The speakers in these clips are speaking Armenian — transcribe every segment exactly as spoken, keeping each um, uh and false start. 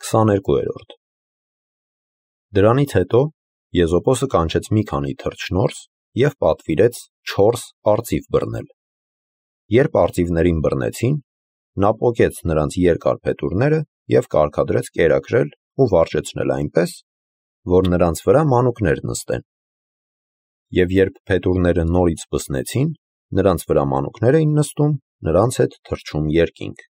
քսաներկուերորդ Դրանից հետո Եզոպոսը կանչեց մի քանի թռչնորս և պատվիրեց չորս արծիվ բռնել։ Երբ արծիվներին բռնեցին, նա պոկեց նրանց երկար փետուրները և կարգադրեց կերակրել ու վարժեցնել այնպես, որ նրանց վրա մանուկներ նստեն։ Եվ երբ փետուրները նորից բսնեցին, նրանց վրա մանուկներ էին նստում, նրանց հետ թռչում երկինք։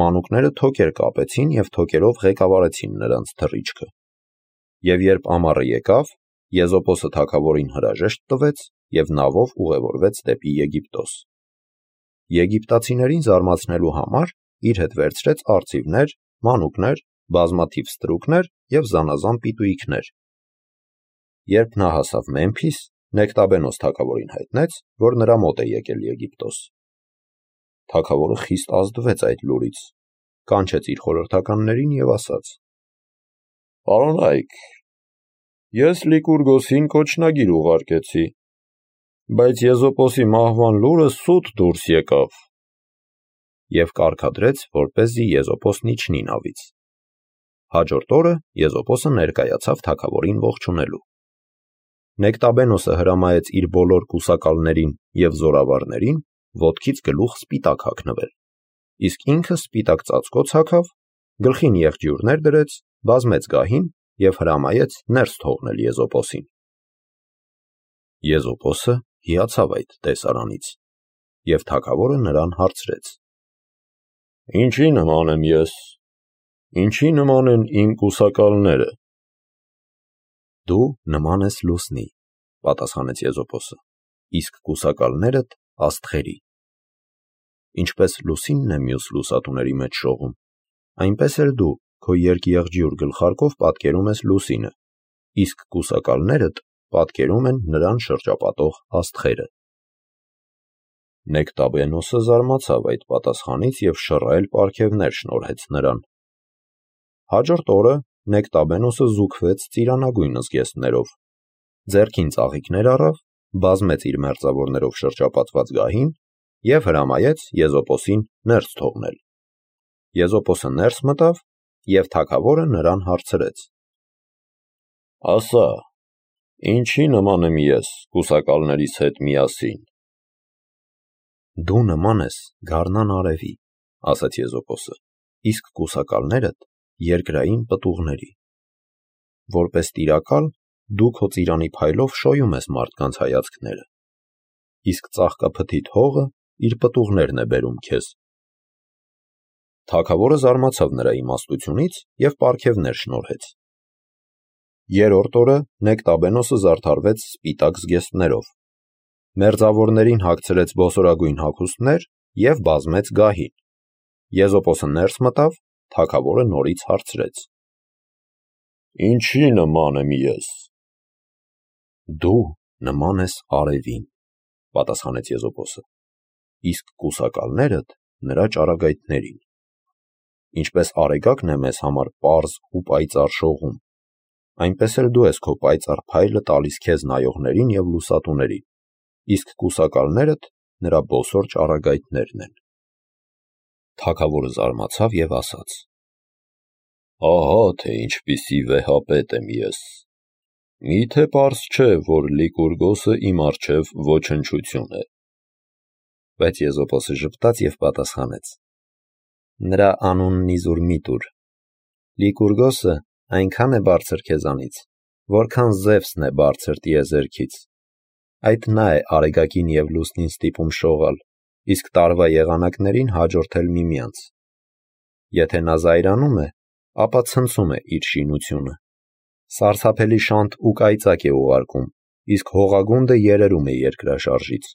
Մանուկները թոքեր կապեցին և թոքերով ղեկավարեցին նրանց թռիչքը։ Եվ երբ ամառը եկավ, Եզոպոսը թագավորին հրաժեշտ տվեց և նավով ուղևորվեց դեպի Եգիպտոս։ Եգիպտացիներին զարմացնելու համար իր հետ վերցրեց արծիվներ, մանուկներ, բազմաթիվ ստրուկներ և զանազան պիտույիքներ։ Երբ նա հասավ Մեմփիս, Նեկտաբենոս թագավորին հայտնեց, որ նրա մոտ է եկել Եգիպտոս։ Թագավորը խիստ ազդվեց այդ լուրից, կանչեց իր խորհրդականներին և ասաց. «Պարոնայք, ես Լիկուրգոսին կոչնագիր ուղարկեցի, բայց Եզոպոսի մահվան լուրը սուտ դուրս եկավ»։ Եվ կարգադրեց, որպեսզի Եզոպոսն իջնի նավից։ Հաջորդ օրը Եզոպոսը ներկայացավ թագավորին ողջունելու։ Նեկտաբենոսը հրամայեց իր բոլոր կուսակալներին և զորավարներին ոտքից գլուխ սպիտակ հագնվել, իսկ ինքը սպիտակ ծածկոց հագավ, գլխին եղջյուրներ դրեց, բազմեց գահին և հրամայեց ներս թողնել Եզոպոսին։ Եզոպոսը հիացավ այդ տեսարանից, և թագավորը նրան հարցրեց. «Ինչի նման եմ ես, ինչի նման են իմ կուսակալները»։ «Դու նման ես լուսնի», պատասխանեց Եզոպոսը, «իսկ կուսակալներդ աստղերի։ Ինչպես լուսինն է մյուս լուսատուների մեջ շողում, այնպես էլ դու քո երկեղջյուր գլխարկով պատկերում ես լուսինը, իսկ կուսակալներդ պատկերում են նրան շրջապատող աստղերը»։ Նեկտաբենոսը զարմացավ այդ պատասխանից և շռայլ պարգևներ շնորհեց նրան։ Հաջորդ օրը Նեկտաբենոսը զուգվեց ծիրանագույն զգեստներով, ձեռքին ծաղիկներ առավ, բազմեց իր մերձավորներով շրջապատված գահին և հրամայեց Եզոպոսին ներս թողնել։ Եզոպոսը ներս մտավ, և թագավորը նրան հարցրեց. «Ասա, ինչի նման եմ ես կուսակալներիս հետ միասին»։ «Դու նման ես գարնան արևի», ասաց Եզոպոսը, «իսկ կուսակալներդ երկրային պտուղների։ Որպես տիրակալ դու քո ծիրանի փայլով շոյում ես մարդկանց հայացքները, իսկ ծաղկափթիթ հողը իր պտուղներն է բերում քեզ»։ Թագավորը զարմացավ նրա իմաստությունից և պարգևներ շնորհեց։ Երրորդ օրը Նեկտաբենոսը զարդարվեց սպիտակ զգեստներով, մերձավորներին հագցրեց բոսորագույն հագուստներ և բազմեց գահին։ Եզոպոսը ներս մտավ, թագավորը նորից հարցրեց. «Ինչի նման եմ ես»։ «Դու նման ես արևին», պատասխանեց Եզոպոսը, «իսկ կուսակալներդ նրա ճառագայթներին։ Ինչպես արեգակն է մեզ համար պարզ ու պայծառ շողում, այնպես էլ դու ես քո պայծառ փայլը տալիս քեզ նայողներին և լուսատուներին, իսկ կուսակալներդ նրա բոսոր ճառագայթներն են»։ Թագավորը զարմացավ և ասաց. «Ահա թե ինչպիսի վեհապետ եմ ես։ Մի՞թե պարզ չէ, որ Լիկուրգոսը իմ առջև ոչնչություն է»։ Բայց Եզոպոսը ժպտաց և պատասխանեց. «Նրա անունն իզուր մի տուր։ Լիկուրգոսը այնքան է բարձր քեզանից, որքան Զևսն է բարձր տիեզերքից։ Այդ նա է արեգակին և լուսնին ստիպում շողալ, իսկ տարվա եղանակներին հաջորդել միմյանց։ Եթե նա զայրանում է, ապա ցնցում է իր շինությունը, սարսափելի շանթ ու կայծակ է ուղարկում, իսկ հողագունդը երերում է երկրաշարժից։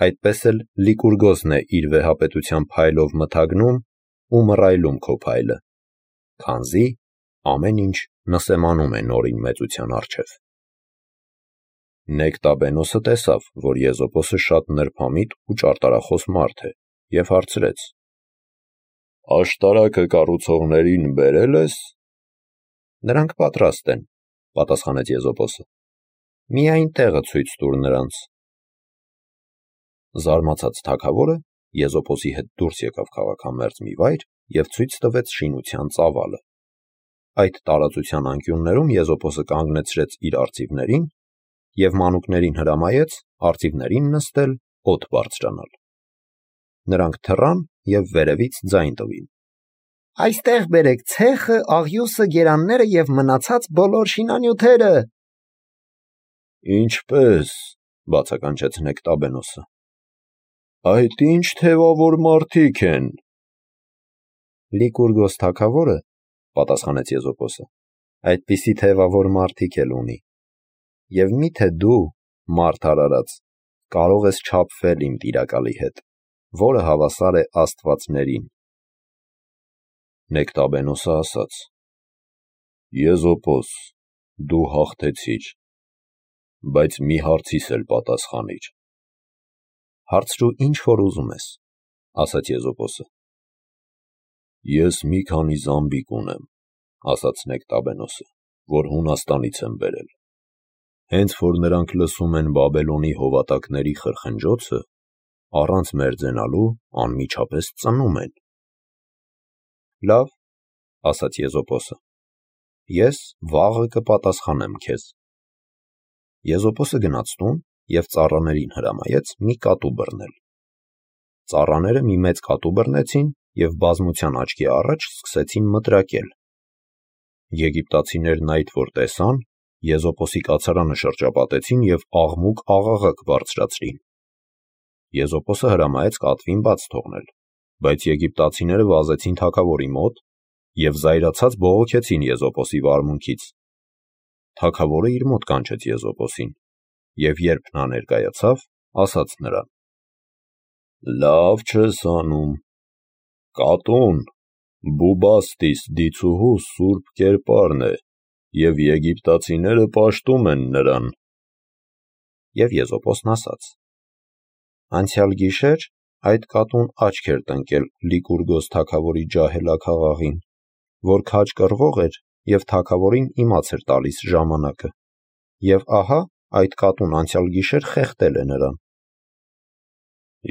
Այդպես էլ Լիկուրգոսն է իր վեհապետության փայլով մթագնում ու մռայլում քո փայլը, քանզի ամեն ինչ նսեմանում է նորին մեծության առջև»։ Նեկտաբենոսը տեսավ, որ Եզոպոսը շատ նրբամիտ ու ճարտարախոս մարդ է, և հարցրեց. «Աշտարակը կառուցողներին բերե՞լ ես»։ «Նրանք պատրաստ են», պատասխանեց Եզոպոսը, «միայն տեղը ցույց տուր նրանց»։ Զարմացած թագավորը Եզոպոսի հետ դուրս եկավ քաղաքամերձ մի վայր և ցույց տվեց շինության ծավալը։ Այդ տարածության անկյուններում Եզոպոսը կանգնեցրեց իր արծիվներին և մանուկներին հրամայեց արծիվներին նստել օդ բարձրանալ։ Նրանք թռան և վերևից ձայն տվին. «Այստեղ բերեք ցեխը, աղյուսը, գերանները և մնացած բոլոր շինանյութերը»։ «Ինչպե՞ս», բացականչեց Նեկտաբենոսը։ «Այդ ի՞նչ թևավոր մարդիկ են»։ Լիկուրգոս թագավորը, պատասխանեց Եզոպոսը, այդպիսի թևավոր մարդիկ էլ ունի։ Եվ մի՞թե դու, մարդ արարած, կարող ես չափվել իմ տիրակալի հետ, որը հավասար է աստվածներին։ Նեկտաբենոսը ասաց. Եզոպոս, դու հաղթեցիր, բայց մի հարցիս էլ պատասխանիր։ Հարցրու ինչ որ ուզում ես, ասաց Եզոպոսը։ Ես մի քանի զամբիկ ունեմ, ասաց Նեկտաբենոսը, որ Հունաստանից եմ բերել։ Հենց որ նրանք լսում են Բաբելոնի հովատակների խրխնջոցը, առանց մերձենալու անմիջապես ծնում են։ Լավ, ասաց Եզոպոսը, ես վաղը կպատասխանեմ քեզ։ Եզոպոսը գնաց տուն և ծառաներին հրամայեց մի կատու բռնել։ Ծառաները մի մեծ կատու բռնեցին և բազմության աչքի առաջ սկսեցին մտրակել։ Եգիպտացիներն այդ որ տեսան, Եզոպոսի կացարանը շրջապատեցին և աղմուկ-աղաղակ բարձրացրին։ Եզոպոսը հրամայեց կատվին բաց թողնել, բայց եգիպտացիները վազեցին թագավորի մոտ և զայրացած բողոքեցին Եզոպոսի վարմունքից։ Թագավորը իր մոտ կանչեց Եզոպոսին, և երբ նա ներկայացավ, ասաց նրան. Լավ չես անում։ Կատուն Բուբաստիս դիցուհու սուրբ կերպարն է, և եգիպտացիները պաշտում են նրան։ Եվ Եզոպոսն ասաց. Անցյալ գիշեր այդ կատուն աչք էր տնկել Լիկուրգոս թագավորի ջահելաքաղաղին, որ քաջ կռվող էր և թագավորին իմաց էր տալիս ժամանակը, և ահա այդ կատուն անցյալ գիշեր խեղդել է նրան։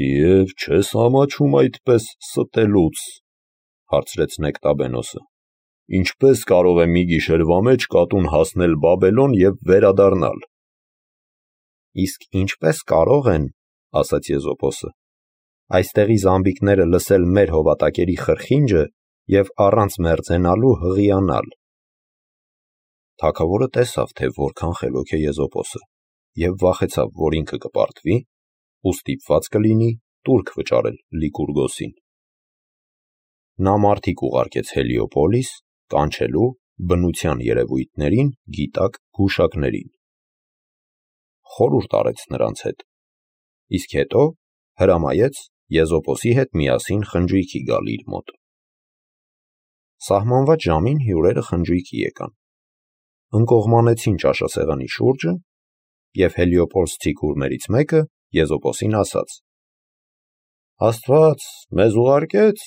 Եվ չես ամաչում այդպես ստելուց, հարցրեց Նեկտաբենոսը։ Ինչպես կարող է մի գիշերվա մեջ կատուն հասնել Բաբելոն և վերադառնալ։ Իսկ ինչպես կարող են, ասաց Եզոպոսը, այստեղի զամբիկները լսել մեր հովատակերի խրխինջը և առանց մերձենալու հղիանալ։ Թագավորը տեսավ, թե որքան խելոք է Եզոպոսը, և վախեցավ, որ ինքը կպարտվի ու ստիպված կլինի տուրք վճարել Լիկուրգոսին։ Նա մարդիկ ուղարկեց Հելիոպոլիս, կանչելու բնության երևույթներին գիտակ գուշակներին։ Խորհուրդ արեց նրանց հետ, իսկ հետո հրամայեց Եզոպոսի հետ միասին խնջույքի գալ իր մոտ։ Սահմանված ժամին հյուրերը խնջույքի եկան, ընկողմանեցին ճաշասեղանի շուրջը, և հելիոպոլսցի քուրմերից մեկը Եզոպոսին ասաց. Աստված մեզ ուղարկեց,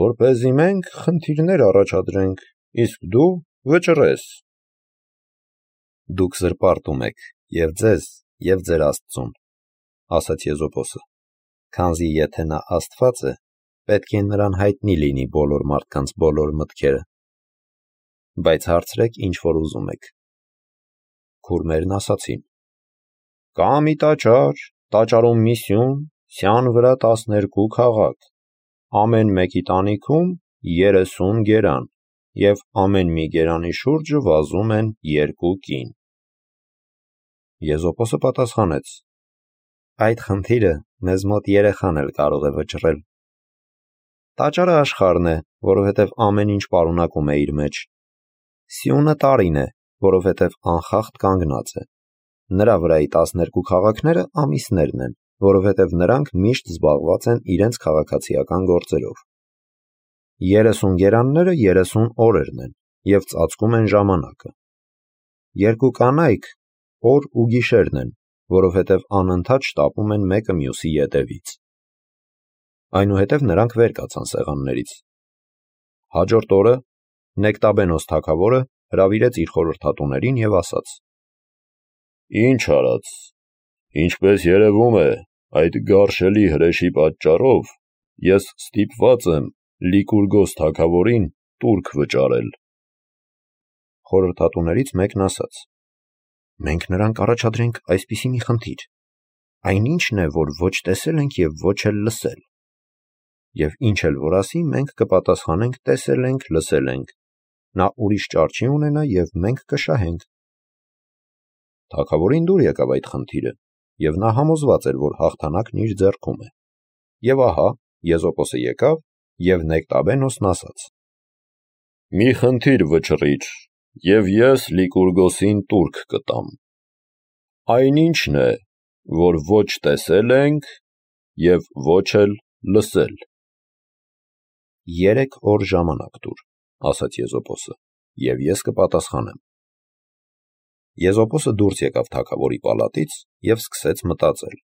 որպեսզի մենք խնդիրներ առաջադրենք, իսկ դու վճռես։ Դուք զրպարտում եք և ձեզ, և ձեր Աստծուն, ասաց Եզոպոսը, քանզի եթե նա Աստված է, պետք է նրան հայտնի լինի բոլոր մարդկանց բոլոր մտքերը։ Բայց հարցրեք ինչ որ ուզում եք։ Քուրմերն ասացին. Կա մի տաճար, տաճարում մի սյուն, սյան վրա տասներկու քաղաք, ամեն մեկի տանիքում երեսուն գերան, և ամեն մի գերանի շուրջը վազում են երկու կին։ Եզոպոսը պատասխանեց. Այդ խնդիրը մեզ մոտ երեխան էլ կարող է վճռել։ Տաճարը աշխարհն է, որովհետև ամեն ինչ պարունակում է իր մեջ։ Սյունը տարին է, որովհետև անխախտ կանգնած է։ Նրա վրայի տասներկու քաղաքները ամիսներն են, որովհետև նրանք միշտ զբաղված են իրենց քաղաքացիական գործերով։ Երեսուն գերանները երեսուն օրերն են և ծածկում են ժամանակը։ Երկու կանայք օր ու գիշերն են, որովհետև անընդհատ շտապում են մեկը մյուսի ետևից։ Այնուհետև նրանք վեր կացան սեղաններից։ Հաջորդ օրը Նեկտաբենոս թագավորը հրավիրեց իր խորհրդատուներին և ասաց. Ինչ արած, ինչպես երևում է, այդ գարշելի հրեշի պատճառով ես ստիպված եմ Լիկուրգոս թագավորին տուրք վճարել։ Խորհրդատուներից մեկն ասաց. «Մենք նրանք առաջադրենք այսպիսի մի խնդիր. այնինչն է, որ ոչ տեսել ենք և ոչ էլ լսել։ Եվ ինչ էլ որ ասի, մենք կպատասխանենք տեսել ենք, լսել ենք, նա ուրիշ ճար չի ունենա և մենք կշահենք»։ Թագավորին դուր եկավ այդ խնդիրը, և նա համոզված էր, որ հաղթանակն իր ձեռքում է։ Եվ ահա Եզոպոսը եկավ, և Նեկտաբենոսն ասաց. «Մի խնդիր վճռիր, և ես Լիկուրգոսին տուրք կտամ։ Այնինչն է, որ ոչ տեսել ենք և ոչ էլ լսել»։ «Երեք օր ժամանակ տուր», ասաց Եզոպոսը, «և ես կպատասխանեմ»։ Եզոպոսը դուրս եկավ թագավորի պալատից և սկսեց մտածել.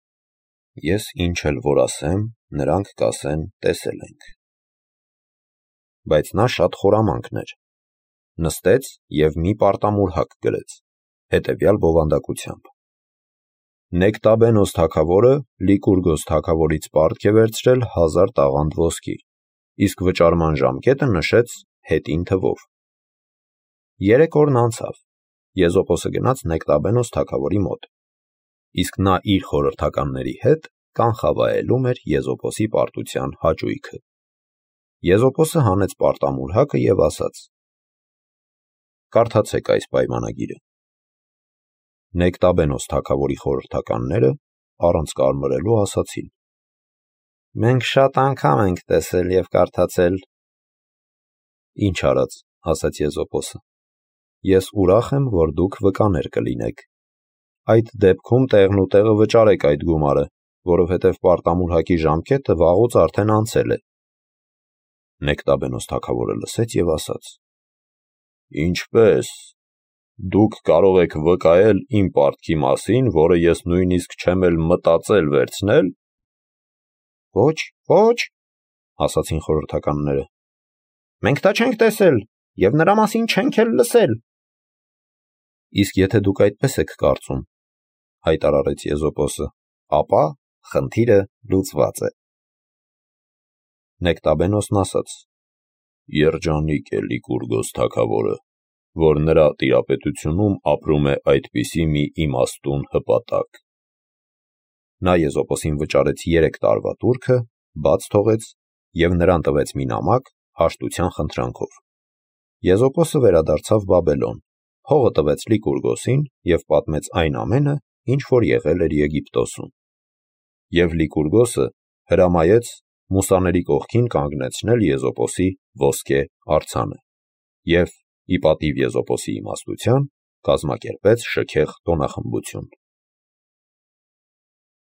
«Ես ինչ էլ որ ասեմ, նրանք կասեն տեսել ենք»։ Բայց նա շատ խորամանկ էր։ Նստեց և մի պարտամուրհակ գրեց, հետևյալ բովանդակությամբ. Նեկտաբենոս թագավորը Լիկուրգոս թագավորից պարտք է վերցրել հազար տաղանդ ոսկի, իսկ վճարման ժամկետը նշեց հետին թվով։ Երեք օրն անցավ, Եզոպոսը գնաց Նեկտաբենոս թագավորի մոտ, իսկ նա իր խորհրդականների հետ կանխավայելում էր Եզոպոսի պարտության հաճույքը։ Եզոպոսը հանեց պարտամուրհակը և ասաց. «Կարդացեք այս պայմանագիրը»։ Նեկտաբենոս թագավորի խորհրդականները առանց կարմրելու ասացին. «Մենք շատ անգամ ենք տեսել և կարդացել»։ «Ինչ արած», ասաց Եզոպոսը, «ես ուրախ եմ, որ դուք վկաներ կլինեք։ Այդ դեպքում տեղն ու տեղը վճարեք այդ գումարը, որովհետև պարտամուրհակի ժամկետը վաղուց արդեն անցել է»։ Նեկտաբենոս թագավորը լսեց և ասաց. «Ինչպե՞ս, դուք կարող եք վկայել իմ պարտքի մասին, որը ես նույնիսկ չեմ էլ մտածել վերցնել»։ «Ոչ, ոչ», ասացին խորհրդականները, «մենք դա չենք տեսել և նրա մասին չենք էլ լսել»։ «Իսկ եթե դուք այդպես եք կարծում, հայտարարեց Եզոպոսը, ապա խնդիրը լուծված է»։ Նեկտաբենոսն ասաց. «Երջանիկ է Լիկուրգոս թագավորը, որ նրա տիրապետությունում ապրում է այդպիսի մի իմաստուն հպատակ»։ Նա Եզոպոսին վճարեց երեք տարվա տուրքը, բաց թողեց և նրան տվեց մի նամակ հաշտության խնդրանքով։ Եզոպոսը վերադարձավ Բաբելոն, փողը տվեց Լիկուրգոսին և պատմեց այն ամենը, ինչ որ եղել էր Եգիպտոսում։ Եվ Լիկուրգոսը հրամայեց մուսաների կողքին կանգնեցնել Եզոպոսի ոսկե արձանը և, ի պատիվ Եզոպոսի իմաստության, կազմակերպեց շքեղ տոնախմբություն։